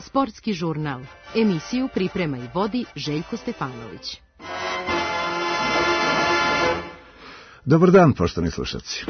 Sportski žurnal. Emisiju priprema i vodi Željko Stefanović. Dobar dan, poštovani slušalci.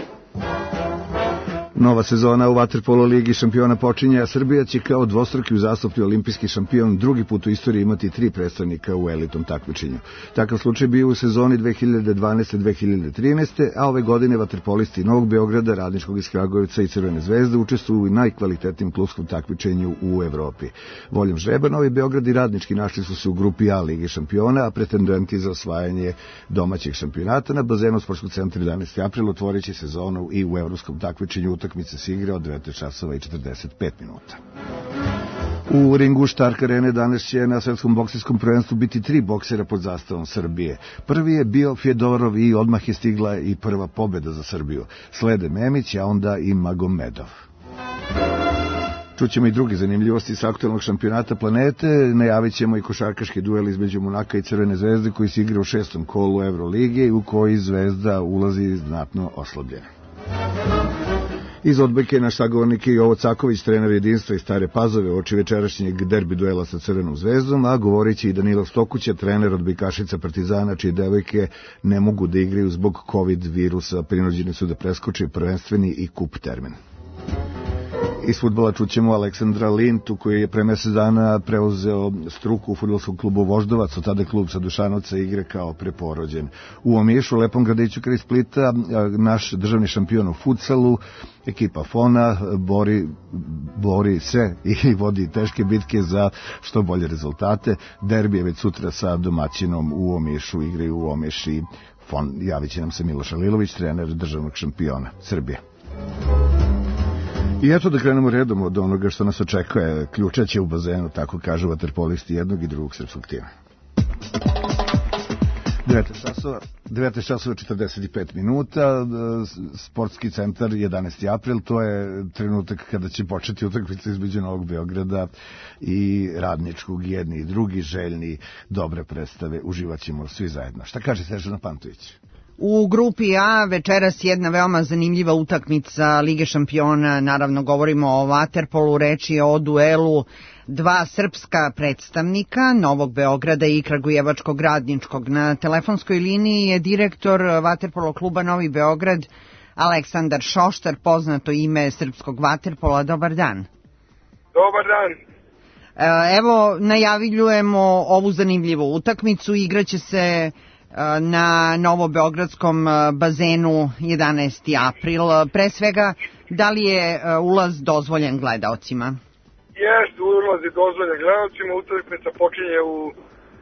Nova sezona u vaterpolo ligi šampiona počinje, a Srbija će kao dvostruki uzastopni olimpijski šampion drugi put u istoriji imati 3 predstavnika u elitnom takmičenju. Takav slučaj bio u sezoni 2012-2013, a ove godine vaterpolisti Novog Beograda, Radničkog iz Kragujevca i Crvene zvezde učestvuju u najkvalitetnijem klubskom takmičenju u Evropi. Voljom žreba Novi Beograd i Radnički našli su se u grupi A Lige šampiona, a pretendenti za osvajanje domaćeg šampionata na bazenu Sportskog centra 11. april otvoreći sezonu i u evropskom takmičenju. Utakmice se igra od 19 časova i 45 minuta. U ringu Štark Arene danas će na svetskom boksijskom prvenstvu biti 3 boksera pod zastavom Srbije. Prvi je bio Fjodorov i odmah je stigla i prva pobjeda za Srbiju. Slede Memić, a onda i Magomedov. Čućemo i druge zanimljivosti sa aktualnog šampionata planete, najavit ćemo i košarkaški duel između Monaka i Crvene zvezde koji se igra u 6. kolu Evrolige i u koji Zvezda ulazi znatno oslabljena. Iz odbojke naš sagovornik je Jovo Caković, trener Jedinstva iz Stare Pazove, uoči večerašnjeg derbi duela sa Crvenom zvezdom, a govorit će i Danilo Stokuća, trener odbojkašica Partizana, čije devojke ne mogu da igraju zbog COVID virusa, prinuđeni su da preskoče prvenstveni i kup termin. Iz fudbala čućemo Aleksandra Lintu, koji je pre mesec dana preuzeo struku u fudbalskom klubu Voždovac, od tada klub sa Dušanovca igre kao preporođen. U Omišu, lepom gradiću kraj Splita, naš državni šampion u futsalu, ekipa Fona, bori se i vodi teške bitke za što bolje rezultate. Derbi je već sutra sa domaćinom u Omišu, igraju u Omiši Fon. Javit će nam se Miloš Alilović, trener državnog šampiona Srbije. I eto da krenemo redom od onoga što nas očekuje. Ključać je u bazenu, tako kažu vaterpolisti jednog i drugog srpskog tima. 9 časova 45 minuta, sportski centar 11. april, to je trenutak kada će početi utakmica između Novog Beograda i Radničkog, jedni i drugi željni dobre predstave, uživat ćemo svi zajedno. Šta kaže Snežana Pantović? U grupi A večeras jedna veoma zanimljiva utakmica Lige šampiona, naravno govorimo o vaterpolu, reč je o duelu dva srpska predstavnika Novog Beograda i Kragujevačkog Radničkog. Na telefonskoj liniji je direktor vaterpolo kluba Novi Beograd Aleksandar Šoštar, poznato ime srpskog vaterpola. Dobar dan. Dobar dan. Evo, najavljujemo ovu zanimljivu utakmicu, igraće se na novobeogradskom bazenu 11. april. Pre svega, da li je ulaz dozvoljen gledaocima? Jeste, ulaz je dozvoljen gledaocima. Utakmica počinje u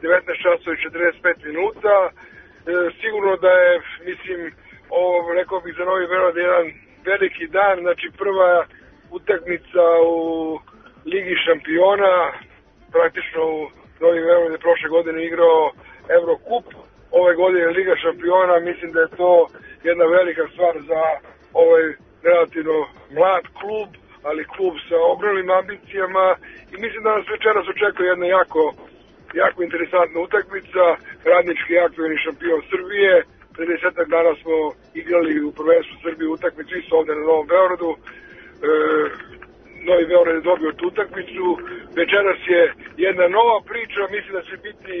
19 časova i 45 minuta. Sigurno da je, mislim, rekao bih za Novi Beograd jedan veliki dan. Znači, prva utakmica u Ligi šampiona. Praktično u Novi Beograd je prošle godine igrao Evrokup. Ove godine Liga šampiona, mislim da je to jedna velika stvar za ovaj relativno mlad klub, ali klub sa ogromnim ambicijama i mislim da nas večeras očekuje jedna jako interesantna utakmica. Radnički aktuelni šampion Srbije, pre 10 dana smo igrali u prvenstvu Srbije utakmicu isto ovde na Novom Beogradu. Novi Beograd je dobio tu utakmicu, večeras je jedna nova priča, mislim da će biti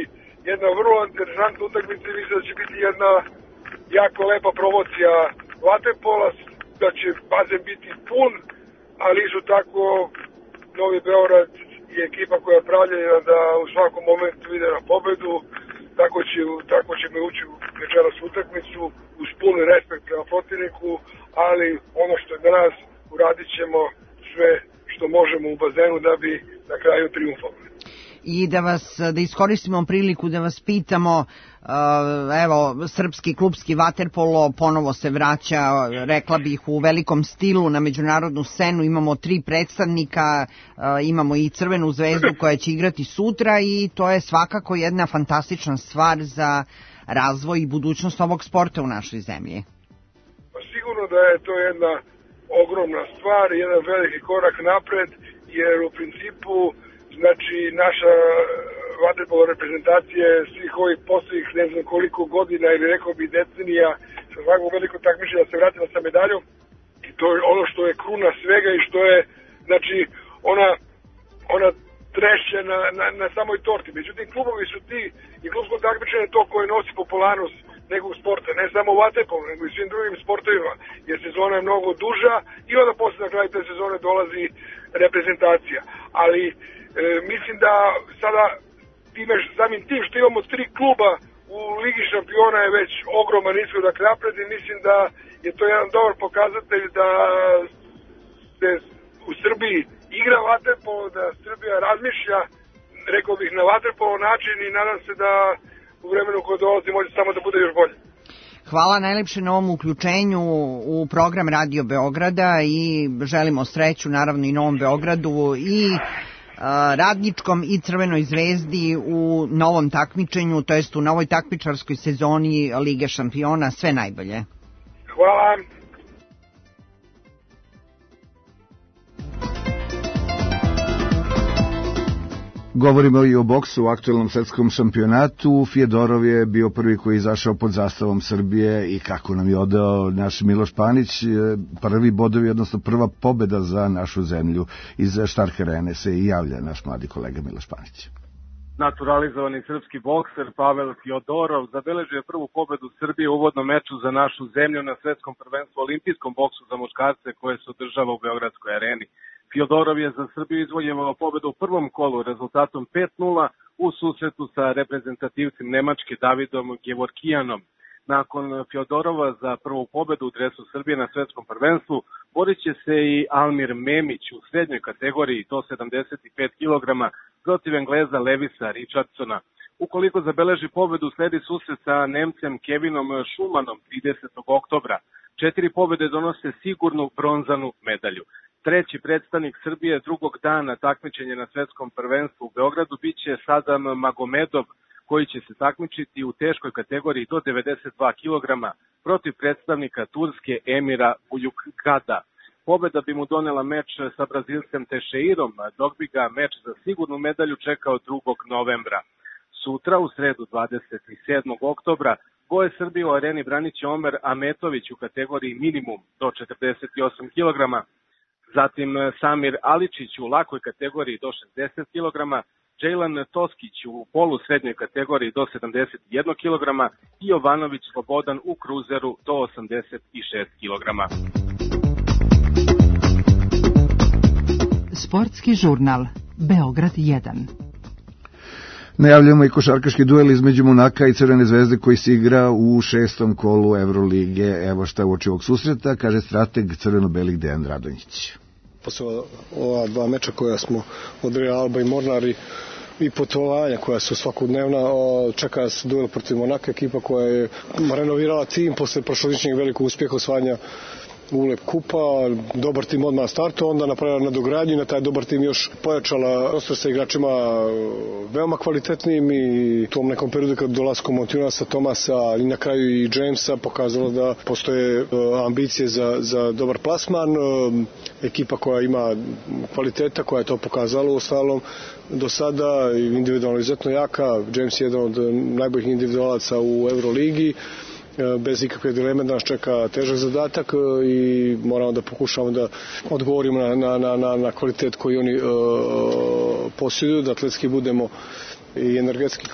jedna vrlo interesantna utakmica i mislim da će biti jedna jako lepa promocija vaterpola, da će bazen biti pun, ali isto tako Novi Beograd je ekipa koja je pravljena da u svakom momentu ide na pobedu, tako ćemo ući u večeras utakmicu uz pun respekt prema protivniku, ali ono što je danas uradit ćemo sve što možemo u bazenu da bi na kraju triumfovali. I da iskoristimo priliku da vas pitamo, evo, srpski klubski vaterpolo ponovo se vraća, rekla bih, u velikom stilu na međunarodnu scenu. Imamo 3 predstavnika, imamo i Crvenu zvezdu koja će igrati sutra i to je svakako jedna fantastična stvar za razvoj i budućnost ovog sporta u našoj zemlji. Sigurno da je to jedna ogromna stvar, jedan veliki korak napred, jer u principu znači naša vaterpolo reprezentacija svih ovih poslednjih ne znam koliko godina ili rekao bi decenija sa svakog velikog takmičenja da se vratila sa medaljom to je ono što je kruna svega i što je, znači, ona trešća na samoj torti. Međutim, klubovi su ti i klubsko takmičenje to koje nosi popularnost nekog sporta, ne samo u vaterpolu, nego i svim drugim sportovima, jer sezona je mnogo duža i onda posle na kraju te sezone dolazi reprezentacija. Ali mislim da sada samim tim što imamo 3 kluba u Ligi šampiona je već ogroman iskorak napred i mislim da je to jedan dobar pokazatelj da se u Srbiji igra vaterpolo, da Srbija razmišlja, rekao bih, na vaterpolo način i nadam se da u vremenu koje dolazi može samo da bude još bolje. Hvala najlepše na ovom uključenju u program Radio Beograda i želimo sreću naravno i Novom Beogradu i Radničkom i Crvenoj zvezdi u novom takmičenju, to jest u novoj takmičarskoj sezoni Lige šampiona. Sve najbolje. Hvala. Govorimo i o boksu u aktuelnom svetskom šampionatu. Fjodorov je bio prvi koji je izašao pod zastavom Srbije i kako nam je odao naš Miloš Panić, prvi bodovi, odnosno prva pobeda za našu zemlju. Iz Stark Arene se i javlja naš mladi kolega Miloš Panić. Naturalizovani srpski bokser Pavel Fjodorov zabeležio je prvu pobedu Srbije u uvodnom meču za našu zemlju na svetskom prvenstvu olimpijskom boksu za muškarce koje se održava u Beogradskoj areni. Fjodorov je za Srbiju izvojevao pobedu u prvom kolu rezultatom 5:0 u susretu sa reprezentativcem Nemačke Davidom Gevorkijanom. Nakon Fjodorova za prvu pobedu u dresu Srbije na svetskom prvenstvu borit će se i Almir Memić u srednjoj kategoriji, to 75 kg, protiv Engleza Levisa Richardsona. Ukoliko zabeleži pobedu, sledi susret sa Nemcem Kevinom Schumanom 30. oktobra. 4 pobede donose sigurnu bronzanu medalju. Treći predstavnik Srbije drugog dana takmičenja na svetskom prvenstvu u Beogradu biće Sadam Magomedov, koji će se takmičiti u teškoj kategoriji do 92 kg protiv predstavnika Turske Emira Bujukada. Pobeda bi mu donela meč sa Brazilcem Teixeirom, dok bi ga meč za sigurnu medalju čekao 2. novembra. Sutra, u sredu 27. oktobra, boje Srbije u areni branit će Omer Ametović u kategoriji minimum do 48 kg, zatim Samir Aličić u lakoj kategoriji do 60 kg, Džejlan Toskić u polu srednjoj kategoriji do 71 kg i Jovanović Slobodan u kruzeru do 86 kg. Sportski žurnal Beograd 1. Najavljamo i košarkaški duel između Monaka i Crvene zvezde koji se igra u 6. kolu Evrolige. Evo šta uoči ovog susreta, kaže strateg crveno-belih Dejan Radonjić. Posle ova 2 meča koja smo odrili, Alba i Mornar, i putovanja koja su svakodnevna, čeka nas duel protiv Monaka, ekipa koja je renovirala tim posle prošlogodišnjeg velikog uspjeha osvajanja ULEP kupa, dobar tim odmah startu, onda napravila nadogradnju i na taj dobar tim još pojačala roster sa igračima veoma kvalitetnim i u tom nekom periodu kad dolaskom Montinasa, Tomasa i na kraju i Jamesa pokazalo da postoje ambicije za dobar plasman, ekipa koja ima kvaliteta, koja je to pokazala u ostalom do sada, individualno izuzetno jaka. James je jedan od najboljih individualaca u Euroligi. Bez ikakve dileme da nas čeka težak zadatak i moramo da pokušamo da odgovorimo na kvalitet koji oni posjeduju, da atletski budemo i energetski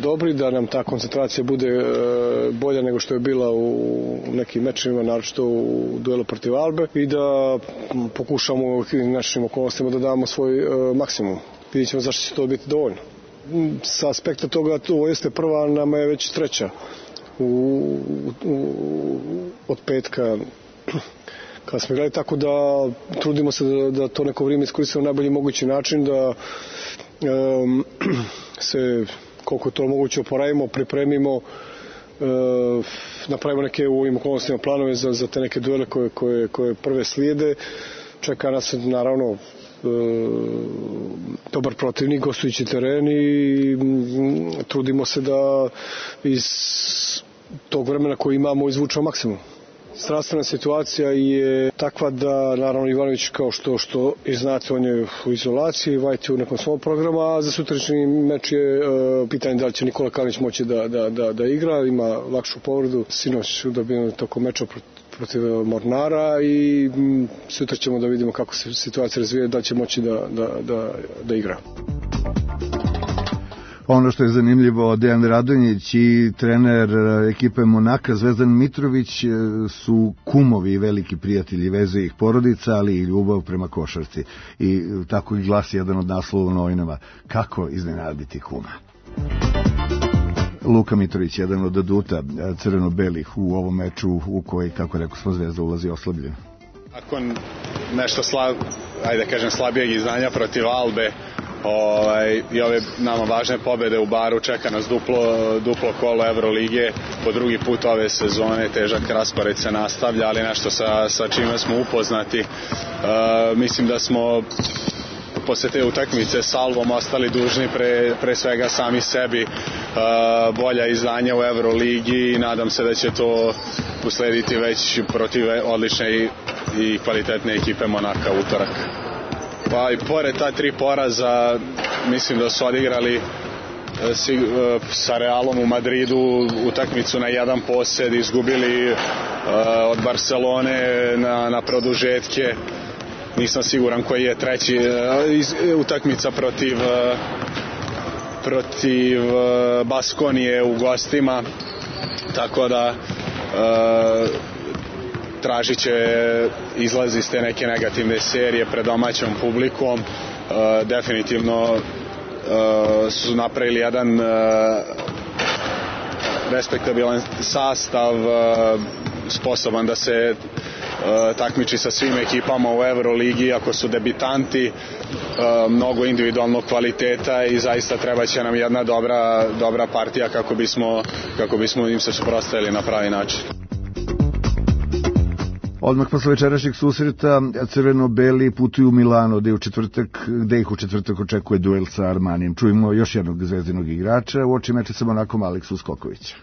dobri, da nam ta koncentracija bude bolja nego što je bila u nekim mečima, naročito u duelu protiv Albe, i da pokušamo u našim okolnostima da damo svoj maksimum. Vidjet ćemo zašto će to biti dovoljno. Sa aspekta toga to jeste prva, nama je već treća od petka kada smo igrali, tako da trudimo se da to neko vrijeme iskoristimo na najbolji mogući način, da se koliko to moguće oporavimo, pripremimo, napravimo neke u ovim okolnostima planove za te neke duele koje prve slijede. Čeka nas naravno dobar protivnik, gostujući teren, i trudimo se da iz tog vremena koji imamo izvučemo maksimum. Strastvena situacija je takva da naravno Ivanović kao što i znate on je u izolaciji, Vajt je u nekom svom programu, a za sutrašnji meč je pitanje da li će Nikola Kalinić moći da igra, ima lakšu povredu, sinoć dobijen tokom meča protiv Mornara i sutra ćemo da vidimo kako se situacija razvija, da će moći da igra. Ono što je zanimljivo, Dejan Radonjić i trener ekipe Monaka Zvezdan Mitrović su kumovi i veliki prijatelji, veze ih porodica, ali i ljubav prema košarci. I tako i glasi jedan od naslova u novinama. Kako iznenaditi kuma? Luka Mitrović, jedan od aduta crveno-belih u ovom meču u koji, kako rekao smo, Zvezda ulazi oslabljen. Nakon nešto slabijeg izdanja protiv Albe, i ove nama važne pobede u Baru, čeka nas duplo kolo Evrolige, po drugi put ove sezone, težak raspored se nastavlja, ali nešto sa čime smo upoznati. Mislim da smo posle te utakmice s Alvom ostali dužni pre svega sami sebi bolja izdanja u Evroligi i nadam se da će to uslediti već protiv odlične i kvalitetne ekipe Monaka utorak. Pa i pored ta 3 poraza mislim da su odigrali sa Realom u Madridu utakmicu na jedan posed, izgubili od Barcelone na produžetke. Nisam siguran koji je treći utakmica protiv Baskonije u gostima, tako da tražit će izlaz iz te neke negativne serije pred domaćom publikom. Definitivno su napravili jedan respektabilan sastav, sposoban da se takmiči sa svim ekipama u Evroligi, ako su debitanti, mnogo individualnog kvaliteta i zaista treba će nam jedna dobra partija kako bismo im se suprotstavili na pravi način. Odmah posle večerašnjeg susreta crveno-beli putuju u Milano, gde ih u četvrtak očekuje duel sa Armanijem. Čujemo još jednog zvezdinog igrača u oči meča sa Monakom, Aleksu Skokovića.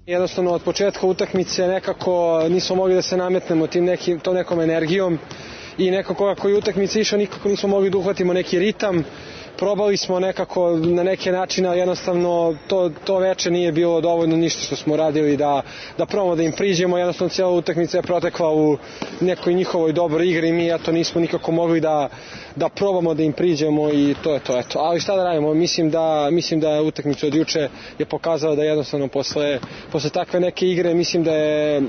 Jednostavno od početka utakmice nekako nismo mogli da se nametnemo tom nekom energijom i nekako kako je utakmica išla nikako nismo mogli da uhvatimo neki ritam. Probali smo nekako na neke načine, ali jednostavno to veče nije bilo dovoljno ništa što smo radili da probamo da im priđemo. Jednostavno cijela utakmica je protekla u nekoj njihovoj dobroj igri i mi nismo nikako mogli da probamo da im priđemo i to je to. Ali šta da radimo, mislim da utakmica od juče je pokazala da jednostavno posle takve neke igre mislim da je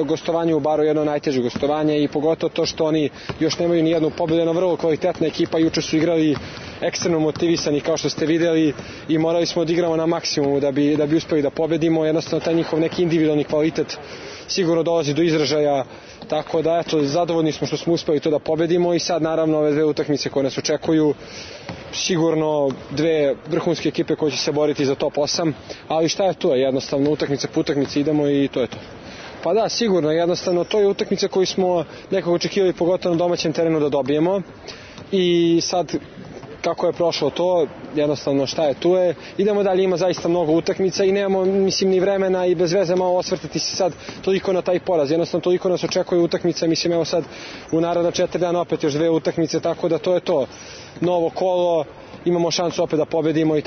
gostovanje u Baru jedno najteže gostovanje i pogotovo to što oni još nemaju ni jednu pobedu, na vrlo kvalitetna ekipa, juče su igrali ekstremno motivisani kao što ste videli i morali smo da igramo na maksimumu da bi uspeli da pobedimo. Jednostavno taj njihov neki individualni kvalitet sigurno dolazi do izražaja, tako da zadovoljni smo što smo uspeli to da pobedimo i sad naravno ove 2 utakmice koje nas očekuju, sigurno 2 vrhunske ekipe koje će se boriti za top 8, ali šta je to, jednostavno utakmice po utakmici idemo i to je to. Pa da, sigurno, jednostavno to je utakmica koju smo nekako očekivali pogotovo na domaćem terenu da dobijemo i sad kako je prošlo to, jednostavno šta je tu je, idemo dalje, ima zaista mnogo utakmica i nemamo ni vremena i bez veze malo osvrtati se sad toliko na taj poraz, jednostavno toliko nas očekuje utakmica, evo sad u naredna 4 dana opet još 2 utakmice, tako da to je to, novo kolo, imamo šansu opet da pobedimo i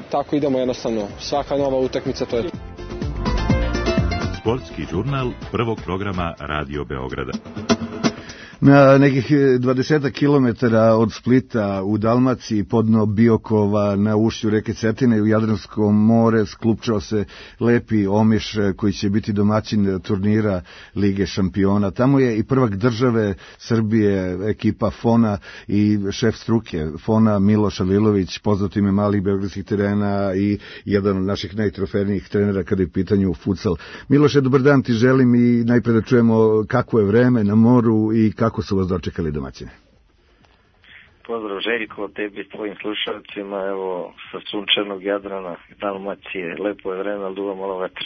tako idemo jednostavno, svaka nova utakmica to je to. Sportski žurnal prvog programa Radio Beograda. Na nekih 20 kilometara od Splita u Dalmaciji, podno Biokova, na ušću reke Cetine u Jadransko more, sklupčao se lepi Omiš koji će biti domaćin turnira Lige šampiona. Tamo je i prvak države Srbije, ekipa Fona i šef struke Fona Miloš Alilović, poznat ime malih beogradskih terena i jedan od naših najtrofejnijih trenera kada je u pitanju futsal. Miloše, dobar dan ti želim i najpre da čujemo kako je vreme na moru i kako su vas dočekali domaćine. Pozdrav Željko, tebi i tvojim slušalcima, evo sa sunčanog Jadrana, Dalmacije, lepo je vreme, ali duva malo vetra.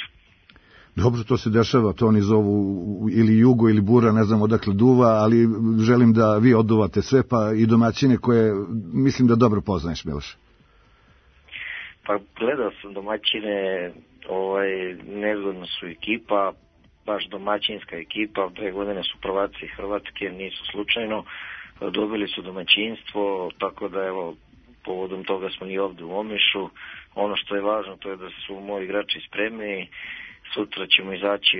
Dobro, to se dešava, to oni zovu ili jugo ili bura, ne znam odakle duva, ali želim da vi oduvate sve, pa i domaćine koje mislim da dobro poznaješ, Miloš. Pa gledao sam domaćine, nezgodno su ekipa, baš domaćinska ekipa, 2 godine su prvaci Hrvatske, nisu slučajno, dobili su domaćinstvo, tako da evo, povodom toga smo i ovde u Omišu. Ono što je važno to je da su moji igrači spremni, sutra ćemo izaći,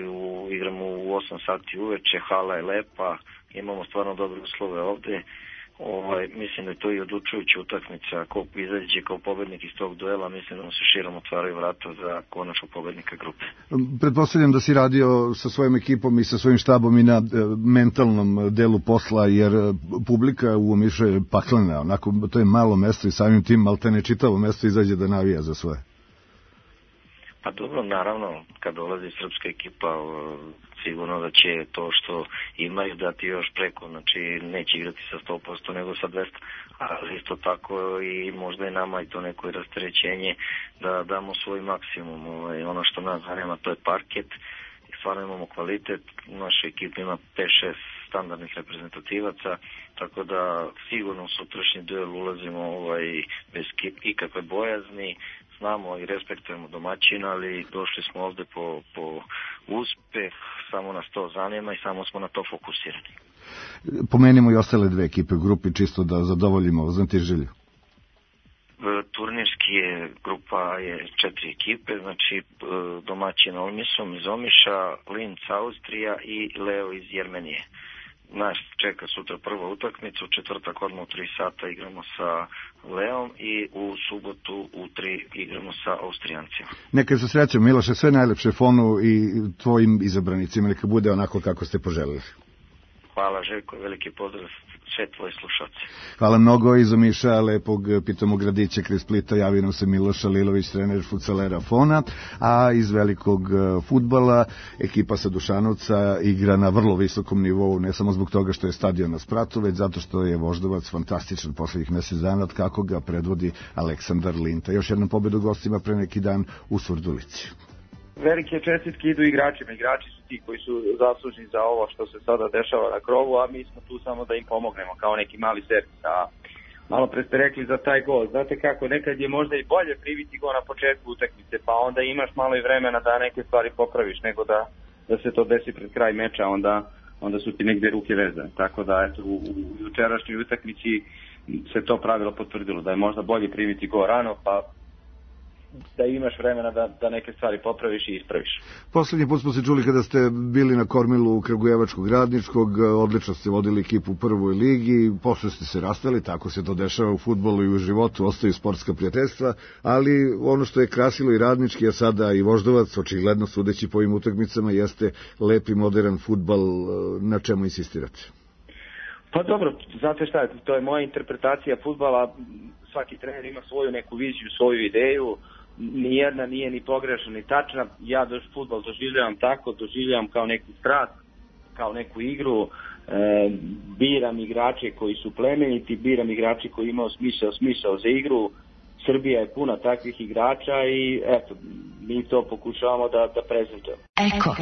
igramo u 8 sati uveče, hala je lepa, imamo stvarno dobre uslove ovde. Mislim da je to i odlučujuća utakmica. Ako izađe kao pobednik iz tog duela, mislim da mu se širom otvaraju vrata za konačnog pobednika grupe. Pretpostavljam da si radio sa svojom ekipom i sa svojim štabom i na mentalnom delu posla, jer publika u Omišu je paklena. Onako, to je malo mesto i samim tim maltene čitavo mesto izađe da navija za svoje. Pa dobro, naravno, kad dolazi srpska ekipa, sigurno da će to što imaju dati još preko, znači neće igrati sa 100% nego sa 200%, ali isto tako i možda i nama i to neko rasterećenje da damo svoj maksimum. Ono što nas zanima to je parket, stvarno imamo kvalitet, naša ekipa ima 5-6 standardnih reprezentativaca, tako da sigurno u sutrašnji duel ulazimo bez ikakve bojazni. Znamo i respektujemo domaćina, ali došli smo ovde po uspeh, samo nas to zanima i samo smo na to fokusirani. Pomenimo i ostale 2 ekipe u grupi, čisto da zadovoljimo znatiželju. Turnirski grupa je 4 ekipe, znači domaćin Olmisom iz Omiša, Linz Austrija i Leo iz Jermenije. Nas čeka sutra prva utakmica, u četvrtak odmah u 3 sata igramo sa Leom i u subotu u 3 igramo sa Austrijancima. Neka se srećem, Miloše, sve najlepše Fonu i tvojim izabranicima, neka bude onako kako ste poželili. Hvala Željko, veliki pozdrav sve tvoje slušalce. Hvala mnogo iz Omiša, lepog pitomog gradića kraj Splita, javio nam se Miloš Alilović, trener futsalera Fona, a iz velikog fudbala ekipa sa Dušanovca igra na vrlo visokom nivou, ne samo zbog toga što je stadion na spratu, već zato što je Voždovac fantastičan poslednjih mesec dana, kako ga predvodi Aleksandar Linta. Još jednom pobedu gostima pre neki dan u Surdulici. Velike čestitke idu igračima. Igrači su ti koji su zaslužni za ovo što se sada dešava na krovu, a mi smo tu samo da im pomognemo kao neki mali servis. A malo pre ste rekli za taj gol. Znate kako, nekad je možda i bolje priviti go na početku utakmice, pa onda imaš malo i vremena da neke stvari popraviš, nego da se to desi pred kraj meča, onda su ti negde ruke vezane. Tako da eto, u jučerašnjoj utakmici se to pravilo potvrdilo, da je možda bolje priviti go rano, pa da imaš vremena da neke stvari popraviš i ispraviš. Poslednji put smo se čuli kada ste bili na kormilu Kragujevačkog Radničkog, odlično ste vodili ekipu u prvoj ligi, posle ste se rastali, tako se to dešava u fudbalu i u životu, ostaju sportska prijateljstva, ali ono što je krasilo i Radnički, a sada i Voždovac, očigledno sudeći po ovim utakmicama, jeste lepi modern fudbal. Na čemu insistirate? Pa dobro, znate šta, to je moja interpretacija fudbala, svaki trener ima svoju neku viziju, svoju ideju, nijedna nije ni pogrešna ni tačna. Ja fudbal doživljavam tako, doživljavam kao neku strast, kao neku igru, biram igrače koji su plemeniti, biram igrače koji imaju smisao za igru. Srbija je puna takvih igrača i eto, mi to pokušavamo da prezentujemo. Eko.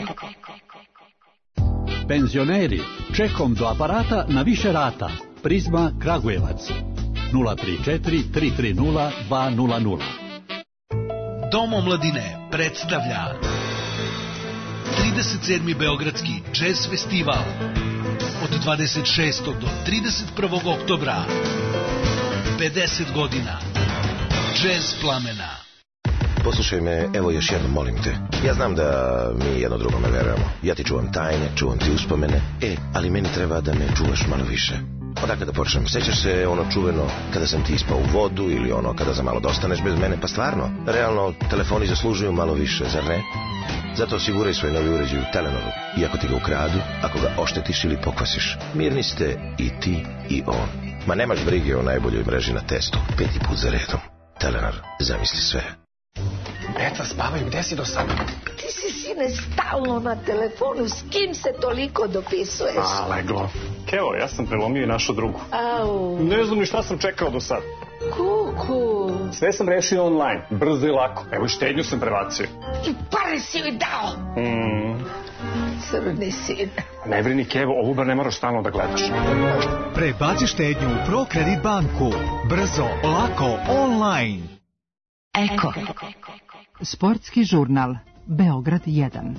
Penzioneri, čekom do aparata na više rata. Prizma Kragujevac. 034 330 200. Dom omladine predstavlja 37. Beogradski džez festival od 26. do 31. oktobra. 50 godina džez plamena. Poslušaj me, evo još jednom, molim te. Ja znam da mi jedno drugome verujemo. Ja ti čuvam tajne, čuvam ti uspomene. Ali meni treba da me čuvaš malo više. Odakle da počnem? Sećaš se ono čuveno kada sam ti ispao u vodu ili ono kada za malo dostaneš bez mene? Pa stvarno, realno, telefoni zaslužuju malo više, zar ne? Zato osiguraj svoj novi uređaj u Telenoru. Iako ti ga ukradu, ako ga oštetiš ili pokvasiš, mirni ste i ti i on. Ma nemaš brige o najboljoj mreži na testu. 5. put za redom. Telenor, zamisli sve. Deca spavaju, gde si do sada? Ti si, sine, stalno na telefonu, s kim se toliko dopisuješ? Leglo. Evo, ja sam prelomio i našu drugu. Au. Ne znam ni šta sam čekao do sada. Kuku. Sve sam rešio online, brzo i lako. Evo, štednju sam prebacio. I pare si joj dao. Crni sin. Ne brini, Kevo, ovu bar ne moraš stalno da gledaš. Prebaci štednju u ProKredit banku. Brzo, lako, online. Eko. Sportski žurnal Beograd 1.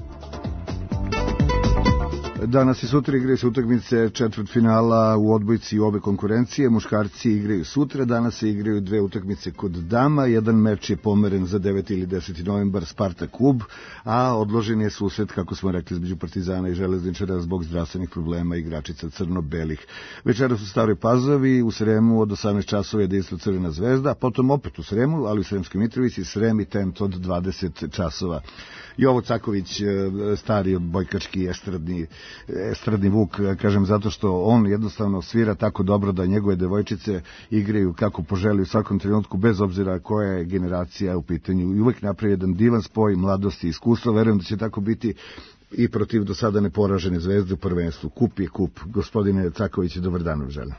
Danas i sutra igraju se utakmice četvrtfinala u odbojci obe konkurencije. Muškarci igraju sutra, danas se igraju dve utakmice kod dama. Jedan meč je pomeren za 9. ili 10. novembar Spartak Kub, a odložen je susret, kako smo rekli, između Partizana i Železničara zbog zdravstvenih problema igračica crno-belih. Večeras u Staroj Pazovi, u Sremu od 18 časova jedinstvo Crvena zvezda, a potom opet u Sremu, ali u Sremskoj Mitrovici, Srem i Tent od 20 časova. Jovo Caković, stari odbojkački estradni vuk, kažem zato što on jednostavno svira tako dobro da njegove devojčice igraju kako poželi u svakom trenutku, bez obzira koja je generacija u pitanju. I uvek napravi jedan divan spoj mladosti i iskustva. Verujem da će tako biti i protiv do sada neporažene zvezde u prvenstvu. Kup je kup. Gospodine Caković, dobar dan vam želim.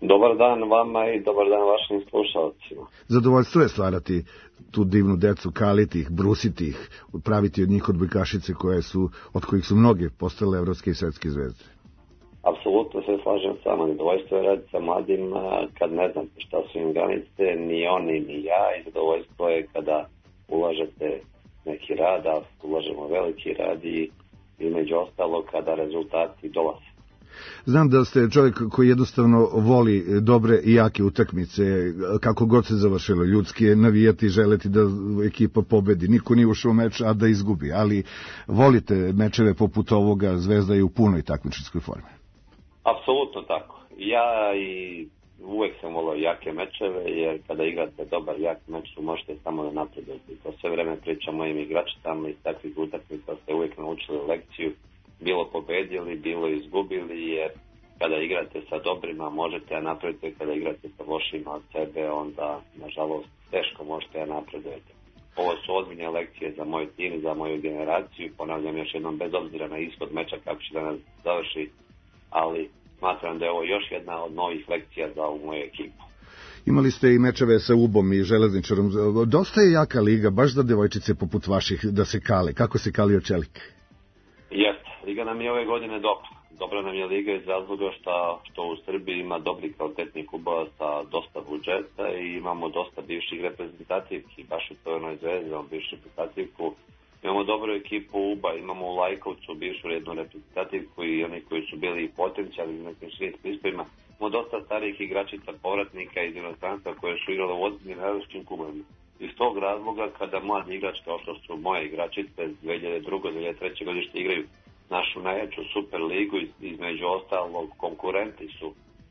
Dobar dan vama i dobar dan vašim slušalcima. Zadovoljstvo je stvarati tu divnu decu, kaliti ih, brusiti ih, praviti od njih odbojkašice od kojih su mnoge postale evropske i svetske zvezde. Apsolutno se slažem s vama. Zadovoljstvo je raditi sa mladim kad ne znate šta su im granice, ni oni ni ja, i zadovoljstvo je kada ulažete neki rad, a ulažemo veliki rad i među ostalo kada rezultati dolaze. Znam da ste čovjek koji jednostavno voli dobre i jake utakmice, kako god se završilo. Ljudski je navijati, želeti da ekipa pobedi. Niko nije ušao u meč, a da izgubi. Ali volite mečeve poput ovoga, Zvezda je u punoj takmičarskoj formi. Apsolutno tako. Ja i uvek sam volio jake mečeve, jer kada igrate dobar jak meč, možete samo da napredujete. To sve vreme pričam mojim igračicama, iz takvih utakmica ste uvek naučili lekciju. Bilo pobedili, bilo izgubili, jer kada igrate sa dobrima možete da napredujete, kada igrate sa lošima od sebe, onda, nažalost, teško možete da napredujete. Ovo su ozbiljne lekcije za moj tim, za moju generaciju. Ponavljam još jednom, bez obzira na ishod meča kako će da nas završi, ali smatram da je ovo još jedna od novih lekcija za ovu moju ekipu. Imali ste i mečeve sa UB-om i Železničarom. Dosta je jaka liga, baš za devojčice poput vaših da se kale. Kako se kalio Čelik? Jeste, liga nam je ove godine dobra. Dobra nam je liga iz razloga što u Srbiji ima dobri kvalitetni klubova sa dosta budžeta i imamo dosta bivših reprezentativki. Baš u Crvenoj zvezdi imamo bivšu reprezentativku. Imamo dobru ekipu UBA, imamo u Lajkovcu bivšu rednu reprezentativku i oni koji su bili potencijali na nekim širim prispojima. Imamo dosta starijih igračica, povratnika iz inostranstva koje su igrale u ozbiljnim evropskim klubovima. Iz tog razloga, kada mladi igrač kao što su moje igračice 2002. 2003. godište igraju našu najjaču super ligu, između ostalog konkurenti su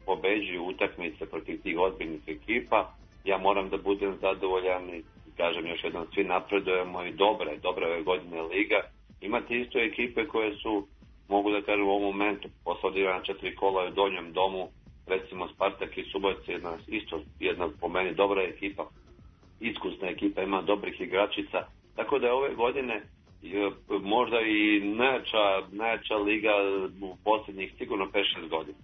pobeđuju utakmice protiv tih ozbiljnih ekipa, ja moram da budem zadovoljan i kažem još jednom, svi napredujemo i dobra ove godine liga. Imate isto ekipe koje su, mogu da kažem u ovom momentu, posle na 4 kola u donjem domu, recimo Spartak i Subotica, jedna po meni dobra ekipa, iskusna ekipa, ima dobrih igračica, tako da je ove godine možda i najjača liga u posljednjih sigurno 5-6 godina.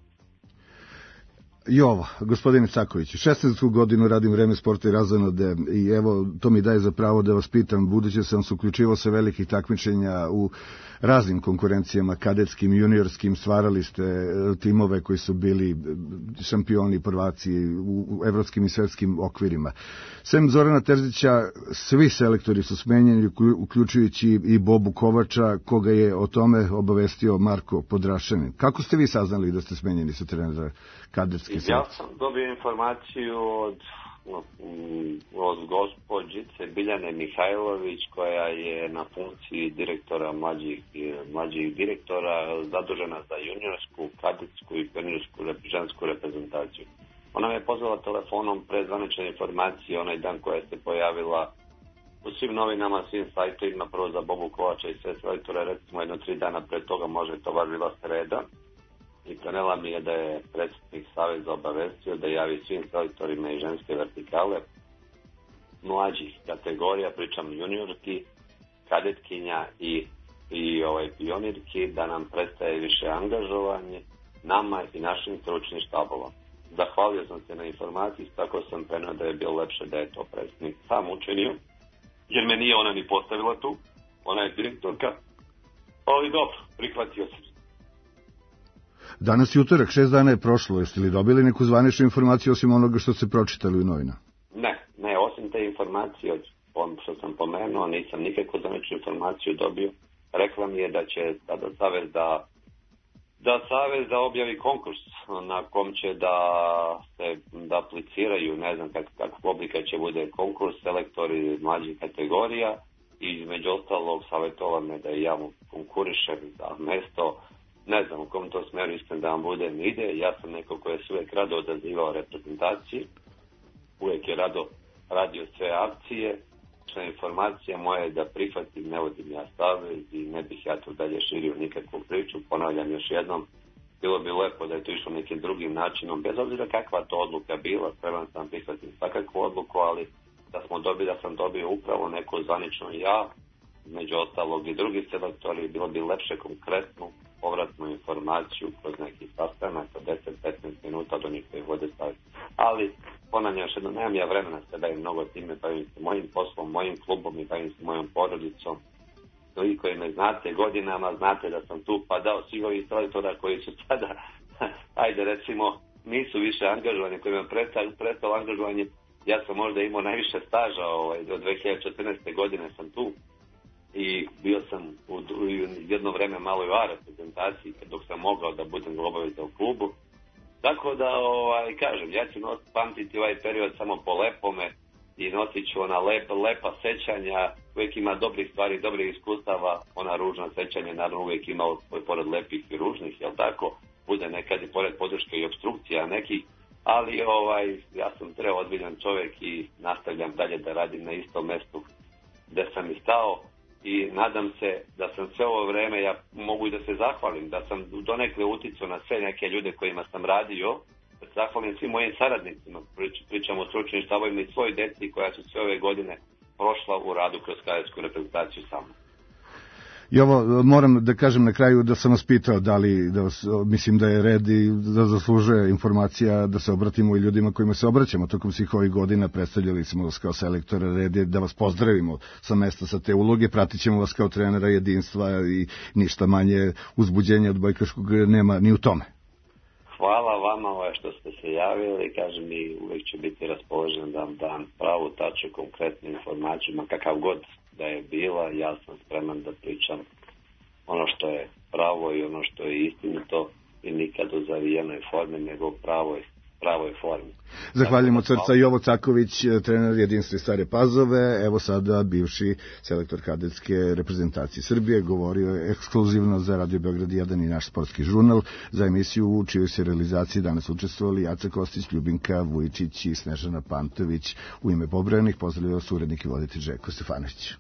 Jovo, gospodine Caković, 16. godinu radim Vreme sporta i razonode i evo, to mi daje za pravo da vas pitam, budući sam se uključivao sa velikih takmičenja u raznim konkurencijama, kadetskim, juniorskim, stvarali ste timove koji su bili šampioni, prvaci u evropskim i svetskim okvirima. Sem Zorana Terzića, svi selektori su smenjeni, uključujući i Bobu Kovača, koga je o tome obavestio Marko Podrašanin. Kako ste vi saznali da ste smenjeni sa trenera kadetske selekcije? Ja sam dobio informaciju od gospođice Biljane Mihajlović, koja je na funkciji direktora mlađih direktora zadužena za juniorsku, kadetsku i pioniersku žensku reprezentaciju. Ona me pozvala telefonom pre zvanične informacije onaj dan koja se pojavila u svim novinama, svim sajtovima, prvo za Bobu Kovača i sve selektore, recimo 1-3 dana pre toga, može to baš bila sreda, i prenela mi je da je predsjednik Saveza obavestio da javi svim selektorima i ženske vertikale mlađih kategorija, pričam juniorki, kadetkinja i pionirki, da nam prestaje više angažovanje nama i našim stručnim štabom. Zahvalio sam se na informaciji, tako sam preneo da je bilo lepše da je to predsjednik sam učinio, jer me nije ona ni postavila tu, ona je direktorka, ali dobro, prihvatio sam. Danas je utorak, 6 dana je prošlo, jeste li dobili neku zvaničnu informaciju osim onoga što ste pročitali u novinama? Ne, osim te informacije što sam pomenuo, nisam nikakvu zvaničnu informaciju dobio. Rekla mi je da će sada Savez da da Savez da objavi konkurs na kom će da apliciraju, ne znam kakvog oblika će bude konkurs, selektori mlađih kategorija i između ostalog savjetovao me da i ja mu konkurišem za mesto. Ne znam u kom to smeru iskreno da vam budem ide. Ja sam neko koji je se uvijek rado odazivao reprezentaciji, uvijek je rado radio sve akcije. Informacija moja je da prihvatim, ne vodim ja Savez i ne bih ja to dalje širio nikakvu priču. Ponavljam još jednom, bilo bi lepo da je to išlo nekim drugim načinom, bez obzira kakva to odluka bila, spreman sam prihvatim svakakvu odluku, ali da sam dobio upravo neku zvanično ja, među ostalog i drugi selektori, bilo bi lepše konkretnu povratnu informaciju kroz neki sastanak od 10-15 minuta do njih koji vode staviti. Ali, ponavljam još jedno, nemam ja vremena se bavim mnogo time, bavim se mojim poslom, mojim klubom i bavim se mojom porodicom. Vi koji me znate godinama, znate da sam tu pa dao svih ovih selektora koji su sada, ajde recimo, nisu više angažovani, koji me prestalo angažovanje. Ja sam možda imao najviše staža, od 2014. godine sam tu i bio sam u jedno vreme malo i u A reprezentaciji dok sam mogao da budem obavezan u klubu. Tako da, kažem, ja ću pamtiti ovaj period samo po lepome i nosit ću ona lepa sećanja, uvijek ima dobrih stvari, dobrih iskustava, ona ružna sećanja naravno uvijek ima pored lepih i ružnih, jel tako? Bude nekad i pored podrške i obstrukcija nekih, ali ja sam ozbiljan čovjek i nastavljam dalje da radim na istom mestu gdje sam i stao i nadam se da sam sve ovo vreme, ja mogu i da se zahvalim, da sam donekle uticao na sve neke ljude kojima sam radio, da se zahvalim svim mojim saradnicima, pričamo o stručnim štabovima i svoj deci koja su sve ove godine prošla u radu kroz kadetsku reprezentaciju sa mnom. I ovo moram da kažem na kraju da sam vas pitao mislim da je red i da zaslužuje informacija da se obratimo i ljudima kojima se obraćamo tokom svih ovih godina, predstavljali smo vas kao selektora, red je da vas pozdravimo sa mesta sa te uloge, pratit ćemo vas kao trenera jedinstva i ništa manje uzbuđenja od bojkaškog nema ni u tome. Hvala vama što ste se javili, kažem i uvijek ću biti raspoložen da vam dam pravu, tačnu, konkretnu informaciju, ma kakav god da je bila, ja sam spreman da pričam ono što je pravo i ono što je istinito i nikad u zavijenoj formi, nego pravoj formi. Zahvaljujemo od srca Jovo Caković, trener jedinstva Stare Pazove, evo sada bivši selektor kadetske reprezentacije Srbije, govorio je ekskluzivno za Radio Beograd 1 i naš sportski žurnal, za emisiju u čijoj se realizaciji danas učestvovali Jaca Kostić, Ljubinka Vujičić i Snežana Pantović. U ime pobrojanih pozdravljaju urednik i voditelj Željko Stefanović.